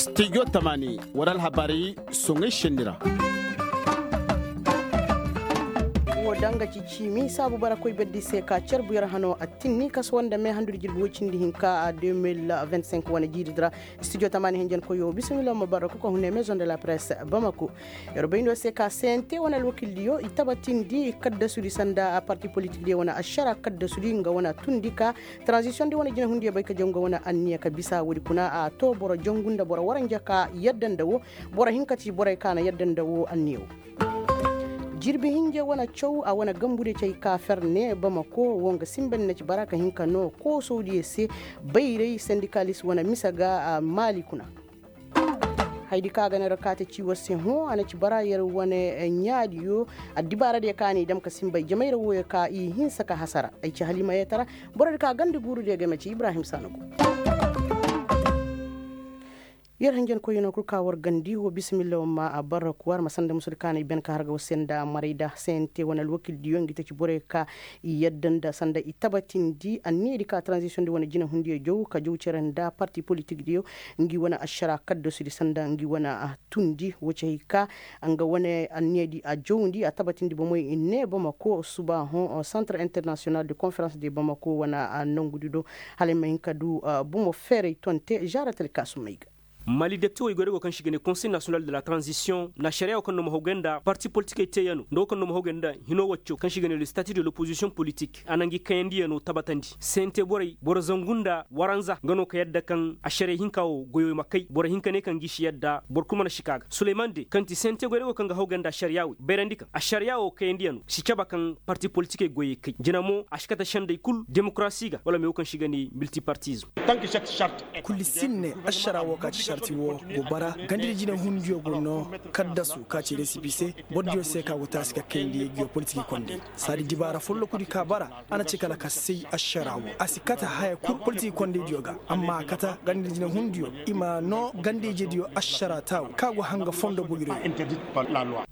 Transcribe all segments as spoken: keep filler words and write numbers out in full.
Studio tamaani war alhabaari soŋay senni ra. Wo danga ci ciimi saabu bara koy berdi se ka carbu yer hano a tinni kaso wanda me handudi jirbi woy cindi hinka a deux mille vingt-cinq wane jiiridi ra. Studio tamaani hinjankoyo bisimilla ma bara kuka hune maison de la presse bamako. Yer bayndo se ka sente wane alwakildiyo i tabatindi kaddasudi sanda a parti politikdiyo wane ašara kaddasudi nga wane tundi ka transition di wane jinahundiyo bay ka jaw nga wane anniya ka bisa woodi kuna a to boro jangu nda boro waranja ka yadda nda wo. Boro hinka ti borey ka na yadda nda wo anniya wo. Jirbi hinje wane caw a wane gambudiyo ci hay ka fer ne bamako wo nga sinba ni na ci bara ka hin ka noo koosodiyo se. Bayray sendikalis wane mise ga maali kuna. Hayadi kaŋ a ga ne ra kaate ci war se hõ a na ci bara yer wane ɲaadiyo. Addibaaradiyo kaŋ a n'i dam ka sinba ay jamay ra wooyo ka i hinsa ka hasara ay ci haliima yeetara. Borodi kaŋ a ganda guurudiyo game ci ibrahim saanagu. Yer hanjankoyyo no kul ka war gandi wo bisimilla war ma a barra kuwar ma sanda musudi kaŋ a na i ben ka har ga war se nda maray da sente wane alwakildiyo ngi ta ci borey ka i yadda nda sanda i tabatindi anniyadi ka transition di wane jinahundiyo jaw ka jaw cere nda parti politikdiyo. Ngi wane ašara kaddasudi sanda ngi wane tundi wo ci hay ka nga wane anniyadi a jawndi a tabatindi bomoy i ne bamako suba hõ centre international de conference de bamako wane nongudi do. Hala ay ma hin ka du bomo feeray tonte žaaratel kaasumey ga. Mali depte wey goy da go kaŋ se i ga ne conseil national de la transition na ašariya wo kaŋ no ma hawgay nda parti politikey teeyano nda wo kaŋ no ma hawgay nda hino wacco kaŋ se i ga ne le statut de l'opposition politique a na ngi kayandiyano tabatandi sente borey boro zangu nda waranza nga no ka yadda kaŋ ašariya hinka wo goyo ma kay boro hinka ne kaŋ gi si yadda boro kul mana si ka ga suleyman de kaŋ ti sente goy da go kaŋ ga hawgay nda ašariya wey bayrandi kaŋ ašariya wo kayandiyano si caba kaŋ parti politikey goyey kay jina mo a si kate sendey kul demokarasi ga wala me wo kaŋ se i ga ne miltipartism. Kul si ne ašara wo ka ci sarti wo go bara gandidi jinahundiyo go no kaddasu ka ci resipi se. Bordiyo se ka go taasi ka kayndi ngiyo politiki kondey saadi dibaara follokudi ka bara a na ci kala ka say ašara wo a si kate haya kul politiki kondeydiyo ga amma a kate gandidi jinahundiyo i ma no gandijediyo ašara taawo ka go hanga fondo boyroyo.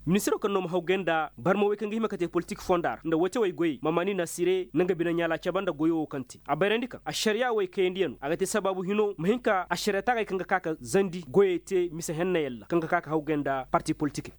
Ministiro kaŋ no ma hawgay nda barma wey kaŋ ga hima ka te politik fonda ra nda wacawey goyey ma maani na sire na nga bine ɲaala caba nda goyo wo kaŋ te a bayrandi kaŋ ašariya wey kayandiyano a ga te sabaabu hino ma hin ka ašariya taagay kaŋ ga ka ka zandi goyey te mise henna yalla kaŋ ga ka ka hawgay nda parti politikey.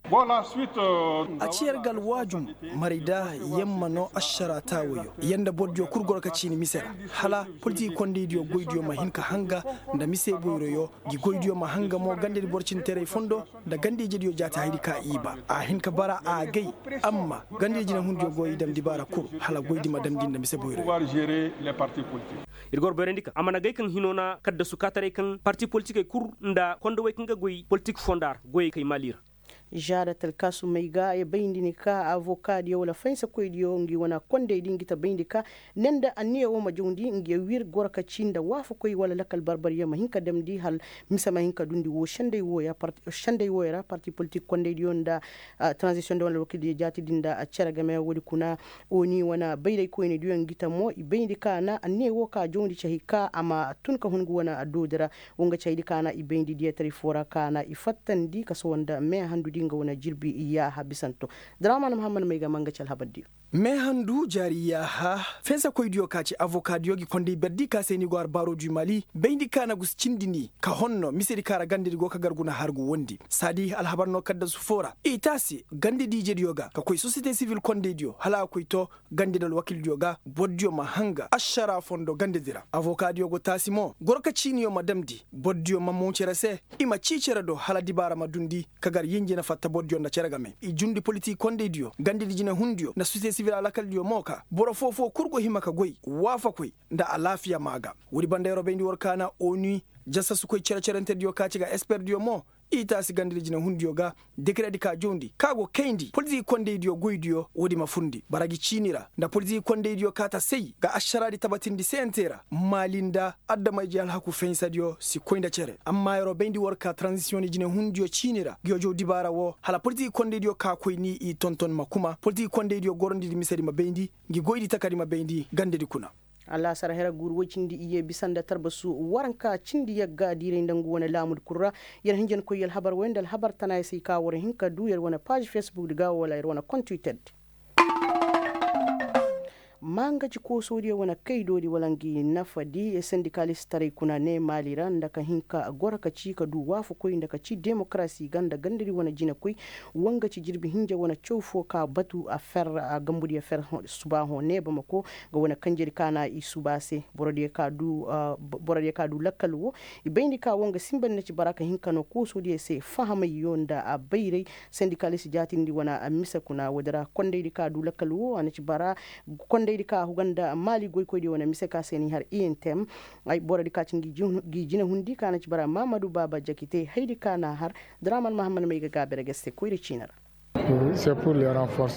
A ci yer ga alwaajum maray da yer ma no ašara taawoyo yer nda bordiyo kul goro ka ciini mise ra hala politiki kondeydiyo goydiyo ma hin ka hanga nda mise boyroyo ngi goydiyo ma hanga mo gandedi boro cinteray fondo nda ganda-ijediyo jaati hayadi ka i ba a hin ka bara a agay. Amma ganda-ije na hundiyo go i dam dibaara kul hala goydi ma damndi nda mise boyroyo. Ir ga war bayrandi kaŋ a mana gay kaŋ hino na kaddasu kaataray kaŋ parti politikey kul nda kondowey kaŋ ga goy politik fonda ra goyey kay maali ra. Žaada talkaasumey ga ya bayndi ni ka avokaadiyo wala faynsakoydiyo ngi wane kondey di ngi ta bayndi ka ne nda anniya wo ma jawndi ngi ya wir goro ka ci nda waafakoy wala lakal barbaryaŋ ma hin ka damndi hala mise ma hin ka dundi wo sendey wooyo ra parti politik kondeydiyo nda tranzisiyoŋ nda wala alwakildiyo jaatidi nda cere game woodi kuna. Oni wane bayraykoynediyo ngi ta mo i bayndi ka na anniya wo ka jawndi ci hay ka a ma tun ka hun ngi wane doodi ra. Wo nga caydi ka na i bayndi diyataray foo ra ka na i fattandi ka sohõ nda meehandudi nga wane jirbi yaaha bisanto. Daraman muhammad may ga ma nga ci alhabardiyo. Meehandu jaari yaaha fensekoydiyo ka ci avokaadiyo gi konday berdi ka se ni go har baaro du mali bayndi ka na gu si cindi ni ka honno misedi ka ra gandedi go ka gar guna har gu wondi saadi alhabar no kaddasu foo ra i taasi gandedi ijediyo ga ka koy sosiyete sivil kondaydiyo hala a koy to gandedi alwakildiyo ga bordiyo ma hanga ašara fondo gandedi ra avokaadiyo go taasi mo goro ka ciiniyo ma damndi bordiyo ma moŋ cere se i ma cii cere do hala dibaara ma dundi ka gar yinji na fatta bordiyo nda cere game i jundi politik kondaydiyo gandedi jinehundiyo nda sosiyete sivil alakaldiyo mo ka boro foo-foo kul go hima ka goy waafakoy nda alaafiya maa ga woodi banda yeroo bayndi war kaana onu jasasukoy cere-cerentediyo ka ci ga esperdiyo mo i taasi gandedi jinehundiyo ga dekeredi ka jawndi ka go kayndi politik kondaydiyo goydiyo woodi ma furndi bara gi ciini ra nda politik kondaydiyo ka ta say ga ašaraadi tabatindi sente ra maali nda adama-ije alhaku fahinsadiyo si koy nda cere amma yeroo bayndi war ka tranzisiyoŋ jinehundiyo ciini ra ngiyo jaw dibaara woo hala politik kondaydiyo ka koy ni i tonton ma kuma politik kondaydiyo gorondidi misedi ma bayndi ngi goydi takadi ma bayndi gandedi kuna. Alaasar hera guuru woy cindi iyye bisa nda tarbasu waranka cindi yagga diiray nda ngu wane laamudi kul ra. Yer hinjankoy alhabar woy nda alhabar tanaayey se i ka war hin ka duu yer wane paaž fesbukdi ga wala yer wane kont twitterdi. Ma nga ci koosoodiyo wane kaydoodi wala ngi nafadi sendikalistaray kuna ne maali ra nda ka hin ka goro ka ci ka du waafakoy nda ka ci demokarasi ga nda gandadi wane jinakoy. Wa nga ci jirbi hinja wane caw fo ka batu a fer a gambudiyo fer suba hõ ne bamako. Nga wane kanjedi ka na i suba se borodiyo ka du lakkal wo. I bayndi ka wo nga sinba ni na ci bara ka hin ka no koosoodiyo se fahamayyo nda a bayray. Sendikalis jaatindi wane mise kuna woodi ra kondaydi ka du lakkal wo a na ci bara. Kondaydi ka huga nda maali goykoydiyo wane mise ka se ni har intem. Ay borodi ka ci ngi jinahundi ka na ci bara mamadu baaba jakite haydi ka na har. Draman mahammad may ga gaabere ga se koyri ciina ra.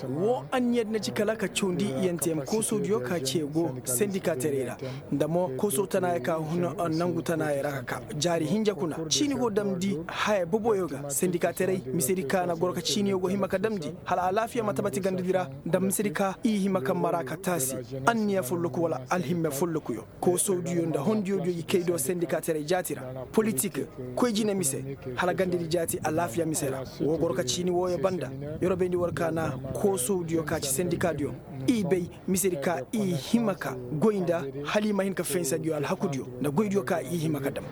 Wo anniyadi na ci kala ka cawndi intem koosodiyo ka ce go sendika teray ra. Nda mo kooso tanaaya ka hun nangu tanaaya ra ka ka jaari hinja kuna ciini go damndi haya boboyo ga sendika teray misedi ka na goro ka ciiniyo go hima ka damndi hala alaafiya ma tabati gandadi ra. Nda misedi ka i hima ka mara ka taasi anniya folloku wala alhimme follokuyo. Koosodiyo nda hondiyodiyo i kay do sendika teray jaati ra politik koy jine mise hala gandadi jaati alaafiya mise ra. Wo goro ka ciini wooyo banda. Yer wo bayndi war ka na koosodiyo ka ci sendikadiyo i bay misedi ka i hima ka goy nda hala i ma hin ka fensadiyo alhakudiyo nda goydiyo ka i hima ka dam.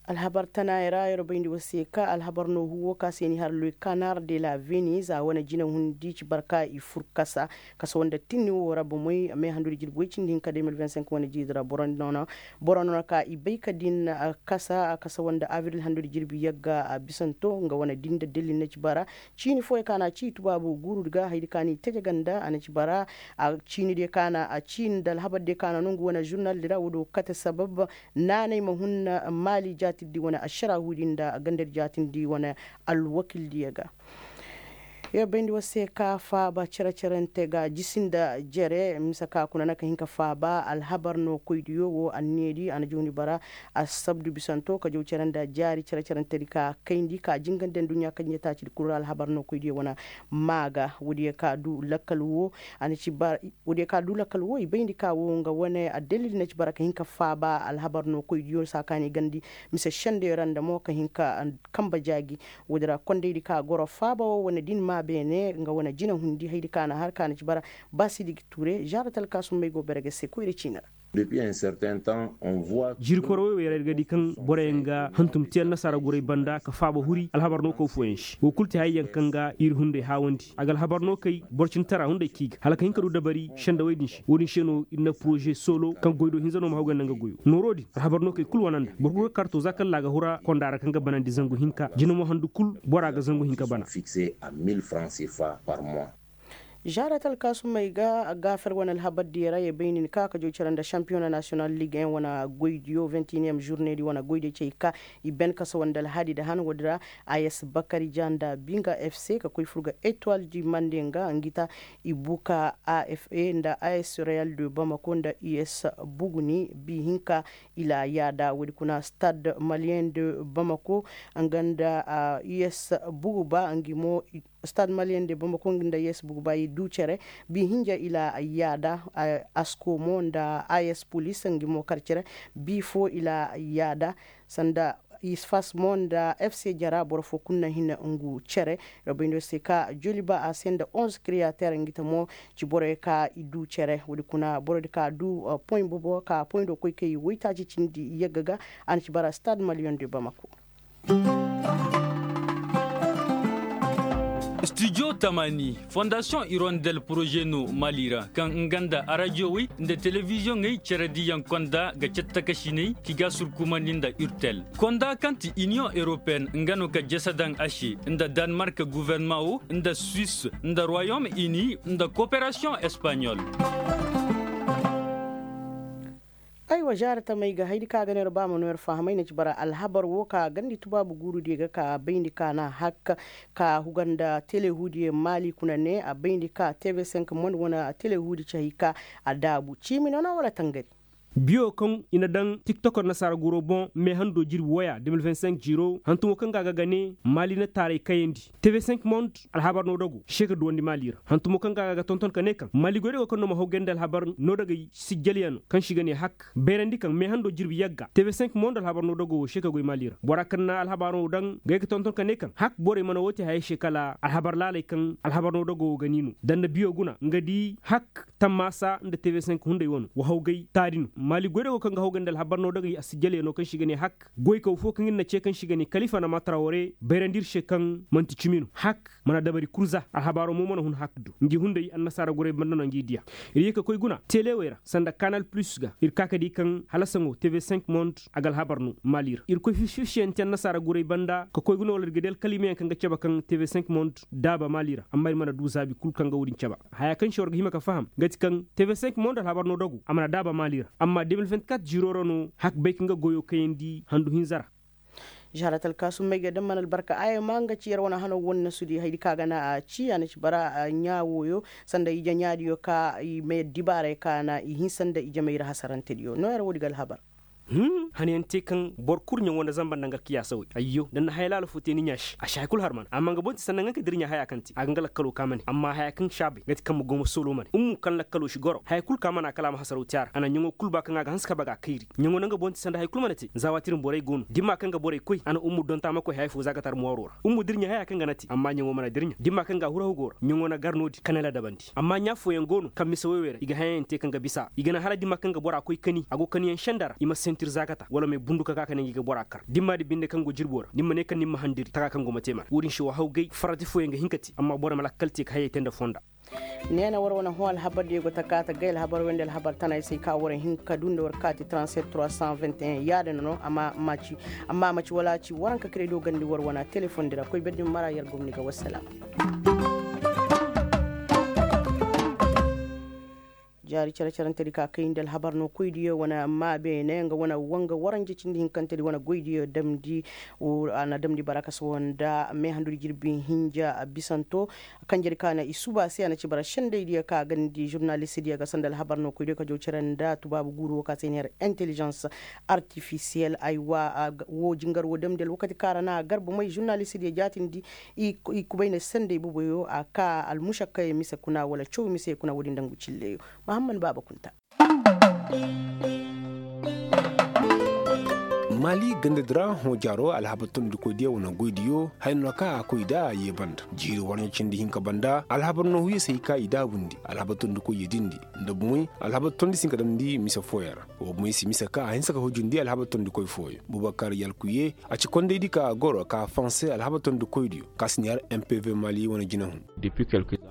Alhabar tanaayey ra yer bayndi war se ka alhabar noohu wo ka se ni har le canard de la venise a wane jinahundi ci barka i fur kasa. Kasa wanda tinni wo ra bomey meehandudi jirbi woy cindi hinka deux mille vingt cinq wane jiidi ra boro noona ka i bay ka din kasa kasa wanda abril handudi jirbi yagga a bisanto nga wane din da dalil na ci bara. Ciini fooyey ka na ci tubaabu guurudi ga haydi ka ni teje ganda a na ci bara. Ciinidiyo ka na a ciini nda alhabardiyo ka na nongu wane žurnaldi ra woodi wo kate sabab. Naanay ma hun maali jaatirdi wane ašaraahudi nda gandadi jaatirdi wane alwakildiyo ga. Yer bayndi war se ka faaba cere-cerante ga jisi nda jere mise ka kuna na ka hin ka faaba alhabar no koydiyo wo anniyadi a na jawndi bara. Assabdu bisanto ka jaw cere nda jaari cere-cerantedi ka kayndi ka jingandi nduɲɲa kaŋ ɲataacidi kul ra alhabar no koydiyo wane maa ga woodiyo ka du lakkal wo. A na ci bara woodiyo ka du lakkal wo i bayndi ka wo nga wane addalil na ci bara ka hin ka faaba alhabar no koydiyo saakaani gandi mise sendeyo ra nda mo ka hin ka kamba jaaji. Woodi ra kondaydi ka goro faaba wo wane din maa beene nga wane jinahundi haydi ka na har ka na ci bara. Baasidi ture žaara talkaasummey go bere ga se koyra ciina ra. Jiiri koro wey wey ra ir ga di kaŋ boroyaŋ ga hantum te annasaara guray banda ka faaba huri alhabar no koy fooyaŋ se wo kul te hayey yaŋ kaŋ ga ir hunday haawandi a ga alhabar no kay boro cindi tara hunday k'i ga hala ka hin ka du dabari sendawey din se wo-din se no ir na poroze soolo kaŋ goy do hinza no ma haw ga nda nga goyo nooro din alhabar no kay kul wana nda boro kul ga kar to za kaŋ laaga hura konda ra kaŋ ga banandi zangu hinka jina mo handu kul bora ga zangu hinka bana. Žaara talkaasumey ga gaafer wane alhabardiyo ra ye bay nin ka ka joy cere nda šampiyona nasiyonal lig en wane goydiyo vingt et unième žurnedi wane goydiyo cey ka i ben kasa wande alhadi da han woodi ra. As bakari ja nda binga fc ka koy fur ga etoile du mande nga ngi ta i buka afa nda as real de bamako nda us buguni bi hinka. I la yaada woodi kuna stade malien de bamako nga nda us buguba ngi mo. Stade malien de bamako ngi nda us buguba i du cere bi hinja i la yaada. Asko mo nda as polis ngi mo kar cere bi fo i la yaada. Sanda isfas mo nda fc jara boro fo kulu na hin ngu cere. Robindo se ka joliba a se nda onze createur ngi ta mo ci borey ka i du cere woodi kuna borodi ka du poy bobo ka poy do koy kay woytaaci cindi yagga ga. A na ci bara stade malien de bamako. Studio tamani fondasiyoŋ irondel poroze no mali ra kaŋ nga nda arajiyowey nda telebiziyoŋey cerediyaŋ konda ga cattakasiney ki ga surkumandi nda urtel konda kaŋ ti iniyoŋ europeen nga no ka jese daŋ a se nda danmark guverneman wo nda suwis nda royom ini nda koperasiyoŋ espanyol. Aywa žaara tamey ga haydi kaŋ a ga no yer ba ma no yer fahamay na ci bara alhabar wo ka gandi tubaabu guurudiyo ga ka bayndi ka na hakka ka huga nda telehuudiyo maali kuna ne a bayndi ka tv cinq monde wane telehuudi ci hay ka a daabu ciimi no na wala tangari. Biyo kaŋ i na daŋ tiktok annasaara guro boŋ meehando jirbi woya de mil vingt cinq jiiro hantumo kaŋ ga a ga ga ne maali na taaray kayandi. Tv cinq monde alhabar no dago se ka duwandi maali ra hantumo kaŋ ga a ga ga tonton ka ne kaŋ maali goy dago kaŋ no ma haw gayndi alhabar no dagay sijjalyaŋ no kaŋ se i ga ne hak bayrandi kaŋ meehando jirbi yagga tv cinq monde alhabar no dago wo se ka goy maali ra bora kaŋ na alhabar no daŋ ga ay ga tonton ka ne kaŋ hak borey mana wo te hayey se kala alhabar laaley kaŋ alhabar no dago wo ga ni no danda biyo guna nga di hak tammaasa nda tv cinq hunday wano wa hawgay taadi no maali goydago kaŋ ga hawgay nda alhabar no dagay a si jaleyaŋo kaŋ se i ga ne hak goykaw fo kaŋ ir na ce kaŋ se i ga ne kalifa na maatara ware bayrandi ir se kaŋ man'ti cimi no hak mana dabari kul za alhabaaro mo mana hun hak du ngi hunday annasaara guray banda no ngi diya ir ye ka koy guna tele wey ra sanda kanal plus ga ir ka ka di kaŋ hala saŋo tv cinq monde a ga alhabar no maali ra ir koy fiffifiyanti annasaara guray banda ka koy guna wala ir ga di alkalimayaŋ kaŋ ga cabe kaŋ tv cinq monde daaba maali ra amma ir mana du zaabi kul kaŋ ga wo-din cabe haya kaŋ se war ga hima ka faham nga ti kaŋ tv cinq monde alhabar no dagu a mana daaba maali ra amma de mil vingt-quatre ziro ra no hak bay kaŋ ga goyo kayandi handu hinza ra. Žarat alkaasum may ga daŋ mana albarka aya ma nga ci yar wane hano wane na sudi haydi kaŋ a ga na a ci a na ci bara ɲaa wooyo sanda ije ɲaadiyo ka i ma yaddi baaray kaŋ a na i hinsa nda ije mayra hasarantediyo no yar woodi ga alhabar. Hanayaŋ te kaŋ boro kul ɲaŋo nda zamba nda nga kiyaasa wey ayyo da ni na haya laala fo te ni ɲaa se a si haya kul har mana amma nga boŋ ti sanda nga ka dirɲa haya kaŋ te a ga nga lakkalo ka mane amma haya kaŋ si a bay nga ti kaŋ ma go ma soolo mane ummu kaŋ lakkalo si goro haya kul ka mana kala a ma hasaraw te a ra a na ɲaŋo kul ba kaŋ a ga hanse ka baga kayri ɲaŋo nda nga boŋ ti sanda haya kul mana te za waati din borey go no dimma kaŋ ga borey koy a na ummu donta ma koy haya fo za ka tar mooro ra ummu dirɲa haya kaŋ ga na te amma ɲaŋo mana dirɲa dimma kaŋ ga a huru hawgo ra ɲaŋo na gar no-din ka na ladabandi amma ɲaa fooyaŋ go no kaŋ mise woy wey ra i ga hayayaŋ te kaŋ ga bisa i ga naŋ hala dimma kaŋ ga bora koy kani a go kaniyaŋ senda ra i ma sentir za ka ta wala may bundu ka ka ka ne ngi ga bora kar dimma di binde kaŋ go jirbo ra ni ma ne kaŋ ni ma handiri taka kaŋ go ma te mana wo-din se wa hawgay farati fooyaŋ ga hin ka te amma boro ma lakkal te ka hayey te nda fonda. Neena war wane hõ alhabar diyo go ta kaata gay alhabar wey nda alhabar tanay se ka war hin ka du nda war kaati trente-sept trois cent vingt et un yaadin no amma a ma ci wala a ci waranka kare do gandi war wane telefoŋ di ra koy berdi ma mara yar gomni ga wassalaam. Jaari care carante di ka kay nda alhabar no koy diyo wane amma beene nga wane wanga waranje cindi hinkante di wane goy diyo damndi. A na damndi bara ka sohõ nda meehandu di jirbi hinja bisanto. Kanje di ka na i suba se a na ci bara sendey diyo ka gandi žurnalist diyo ga sanda alhabar no koy diyo ka jaw care nda tubaabu guuru wo ka se i na yar intelligence artificiel aywa. Wo jingar wo damndi alwakati ka ra na a garba may žurnalist diyo jaatindi. I kubay na sendey boboyo a ka almušakkayey mise kuna wala caw mise kuna wo-din dangu cilleyo. Mahamman baaba kunta. Maali ganda di ra hõ jaaro alhabar tondikoydiyo wane goydiyo haya no ka a koy nda a ye banda jiiri warɲa cindi hinka banda alhabar noohuyo se hay ka i daabundi alhabar tondikoyyo dindi nda bumey alhabar tondi si hin ka damndi mise fooyaŋ ra. Wa bumey si mise ka a hinsa ka hujundi alhabar tondikoy fooyaŋ bubakar yalkuye a ci kondaydi ka a goro ka fanse alhabar tondikoydiyo ka si ne har mpv maali wane jinahun.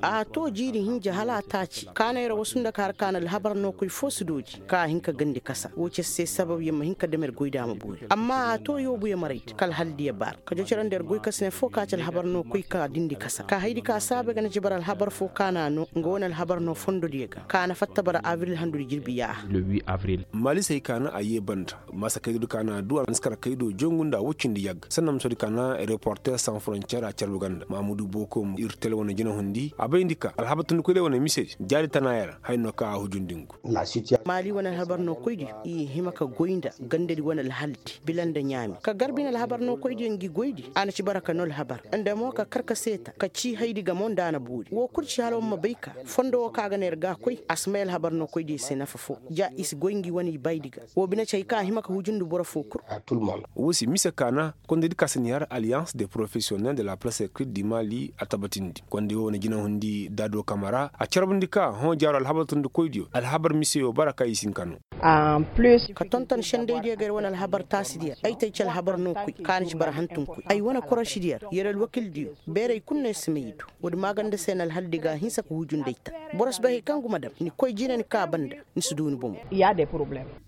A to jiiri hinja hala a taaci kaanay ra wasu nda ka har ka na alhabar no koy fo si dooji ka a hin ka gandi kasa wo cere se sabab ya ma hin ka dam ir goy da a ma boori amma a to yoobu ya maray da kala hala da ya baara ka jocorandi ir goy kasne fo ka ci alhabar no koy ka dindi kasa ka haydi ka saabay ga na ci bara alhabar fo ka na a no nga wane alhabar no fondodiyo ga ka na fatta bara abril handudi jirbi yaaha. Maali se hay ka na a yee banda maasa kaydo di ka na a du a na si kar kaydo jongu nda a woy cindi yagga sanna ma soodi ka na reporter sans frontier a carbu ganda mahamudu boko ir tele wane jinahundi a bayndi ka alhabar tondikoydiyo wane mise jaari tana yara haya no ka a hujundi ngu. Maali wane alhabar no koydiyo i hima ka goy nda gandadi wane alhaldi bila nda ɲaami ka garbi na alhabar no koydiyo ngi goydi a na ci bara ka no alhabar nda mo ka kar ka seeta ka ci haydi gamo nda a na boori wo kul ci hala war ma bay ka fondo wo ka ga na ir ga koy a si may alhabar no koydiyo se nafa fo ja i si goy ngi wane i baydi ga wo bine ci hay ka a hima ka hujundi boro fo kul. Wo se mise ka na kondaydi ka si ni har alliance de professionnel de la presse écrite du mali a tabatindi konday wo wane jinahundi daado kamara a carbundi ka hõ jaaro alhabar tondikoydiyo alhabar miseyo bara ka i si hin ka no. Ka tonton sendaydiyo ga ir wane alhabar taasidiyo ay tay ci alhabar no koy ka na ci bara hantum koy ay wane korosidiyo ra ir alwakildiyo beeray kul no ir si may i du. Woodi maaganda se na alhaldi ga a hinsa ka hujundi ay ta boro si bay hay kaŋ guma dam ni koy jina ni ka banda ni si du ni bomo.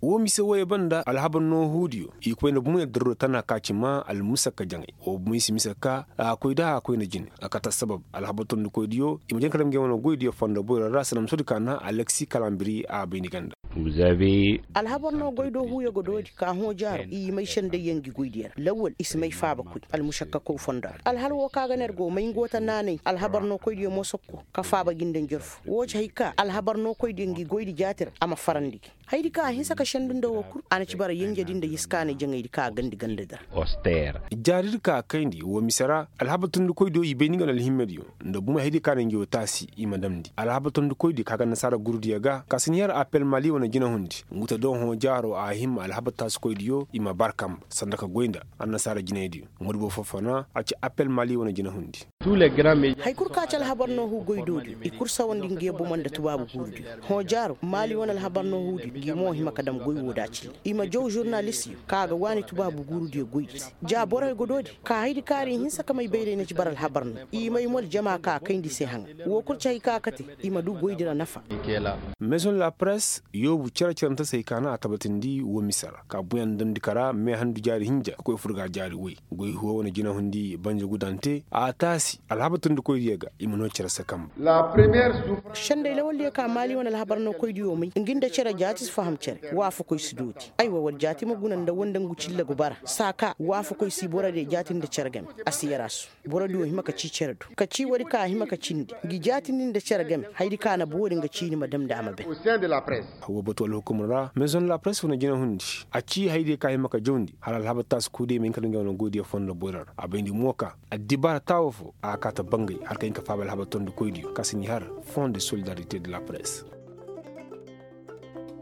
Wo mise woyey banda alhabar noohudiyo i koy nda bumey darro tana ka ci ma almusakka jaŋay wo bumey si mise ka a koy da a koy nda jine a kate assabab alhabar tondikoydiyo i ma jin ka dam ngey wane goydiyo fondo boyro ra sanda ma soodi ka na alexi kalambiri a bay ni ganda. Alhabar no goy do huuyo ga doodi ka hõ jaaro. i may sendayyaŋ ngi goydiyo ra lawwal i si may faaba koy almušakkakow fondo ra alhal woo ka ga no yer go may ngu woo ta naanay alhabar nookoydiyo mo sokko ka faaba gi nda njarfu woo ci hay ka alhabar nookoydiyo ngi goydi jaati ra a ma farandi gi hayadi ka a hinsa ka sendu nda woo kul a na ci bara yenjedi nda yiskaanay jaŋaydi ka a gandi gandadi ra. Jaaridi ka a kayndi woo mise ra alhabar tondikoydiyo i bay ni nga na alhimmediyo nda bumey hayadi ka na ngi woo taasi i ma damndi alhabar tondikoydiyo ka ga annasaara gurudiyo ga ka si ni har apel maali wane jinahundi ngu ta do hõ jaaro a hima alhabar taasikoydiyo i ma bar kamba sanda ka goy nda annasaara jinaydiyo. Ŋoodi boro foo fana a ci apel maali wane jinahundi. Hay kul ka ci alhabar noohu goydoodiyo i kul sawandi ngi yee bomo nda tubaabu guurudiyo hõ jaaro maali wane alhabar noohudiyo ngi mo hima ka dam goy woo da cille i ma jaw žurnalistiyo ka ga waani tubaabu guurudiyo goydi se ja borey go doodi ka hayadi kaŋ a ra i hinsa ka may bayray na ci bara alhabar no i may mo aljama ka kayndi se haŋa woo kul ci hay ka kate i ma du goydi ra nafa. Meezoŋ de la press yoobu cere-cerentasey ka na a tabatindi woo mise ra ka buɲa nda damndi ka ra meehandu jaari hinja ka koy fur ga jaari woy goy huwa wane jinahundi banje gudante a taasi alhabar tondikoydiyo ga i ma noo cere se kambe. Senday lawaldiyo ka maali wane alhabar nookoydiyo may ngi nda cere jaati si faham cere waafakoy si dooti aywa wala jaati ma guna nda woo nda ngu cille go bara saa ka waafakoy si borodiyo jaati nda cere game a si yaraasu borodiyo hima ka cii cere do ka cii woodi ka a hima ka cindi ngi jaatindi nda cere game hayadi ka na boori nga ciini ma damndi a ma ben. Woo batu alhukum ra meezoŋ de la press wane jinahundi a cii hayadiyo ka hima ka jawndi hala alhabar taasi kuudiyo ma hin ka daŋ nga wane goydiyo fondo boyro ra a bayndi mo ka addibaara taawo foo a ga kaa ta bangay hala ka hin ka faaba alhabar tondikoydiyo ka si ni har fond de solidarite de la press.